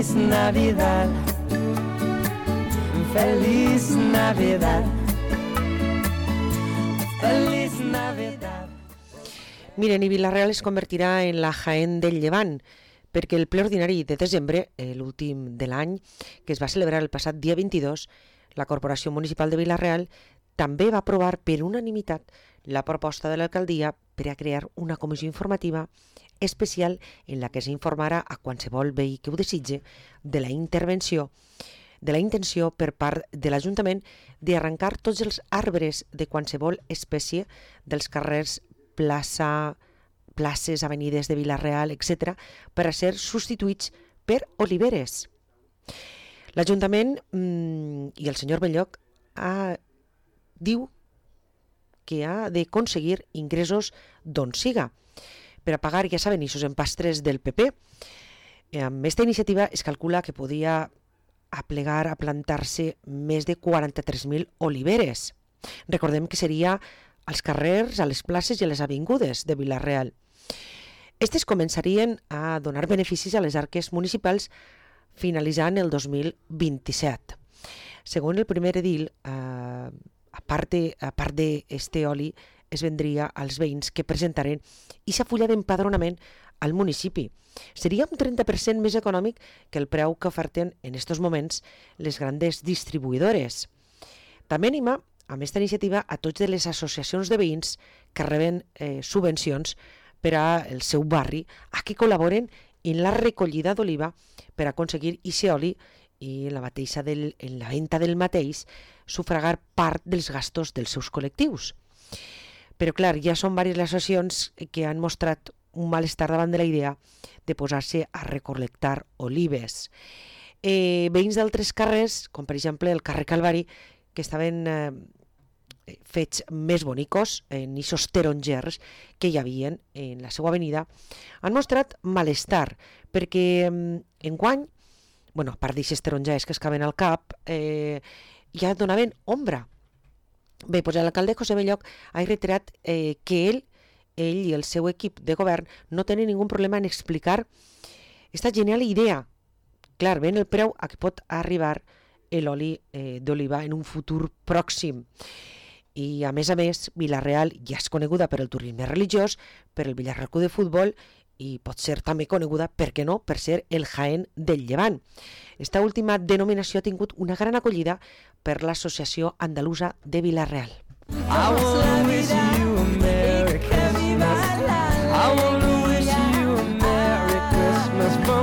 Feliz Navidad. Feliz Navidad. Feliz Navidad. Miren, i Vila-real es convertirà en la Jaén del Llevant, perquè el ple ordinari de desembre, l'últim de l'any, que es va celebrar el passat dia 22, la Corporació Municipal de Vila-real també va aprovar per unanimitat la proposta de l'alcaldia per a crear una comissió informativa especial en la que s'informarà a qualsevol veí que ho desitge de la intenció per part de l'Ajuntament d'arrencar tots els arbres de qualsevol espècie dels carrers, places, avenides de Vila-real, etc., per a ser substituïts per oliveres. L'Ajuntament i el senyor Belloc diu que ha d'aconseguir ingressos d'on siga per a pagar, ja saben, ixos empastres del PP. Amb aquesta iniciativa es calcula que podia aplegar a plantar-se més de 43.000 oliveres. Recordem que seria als carrers, a les places i a les avingudes de Vila-real. Estes començarien a donar beneficis a les arques municipals finalitzant el 2027. Segons el primer edil, a part d'este oli, es vendria als veïns que presentaren aquesta fulla d'empadronament al municipi. Seria un 30% més econòmic que el preu que oferten en estos moments les grandes distribuïdores. També anima amb aquesta iniciativa a tots de les associacions de veïns que reben subvencions per al seu barri a que col·laboren en la recollida d'oliva per aconseguir aquest oli i en la venda del mateix sufragar part dels gastos dels seus col·lectius. Però clar, ja són diverses les associacions que han mostrat un malestar davant de la idea de posar-se a recol·lectar olives. Veïns d'altres carrers, com per exemple el carrer Calvari, que estaven fets més bonicos en aquests tarongers que hi havia en la seva avenida, han mostrat malestar perquè enguany, a part d'aquests tarongers que es caben al cap, ja donaven ombra. Bé, doncs l'alcalde José Belloc ha reiterat que ell i el seu equip de govern no tenen ningú problema en explicar aquesta genial idea. Clar, ven el preu a què pot arribar l'oli d'oliva en un futur pròxim. I a més, Vila-real ja és coneguda per el turisme religiós, per el Villarreal Club de Futbol i pot ser també coneguda, per què no, per ser el Jaén del Llevant. Esta última denominació ha tingut una gran acollida per l'Associació Andalusa de Vila-real. I will miss you.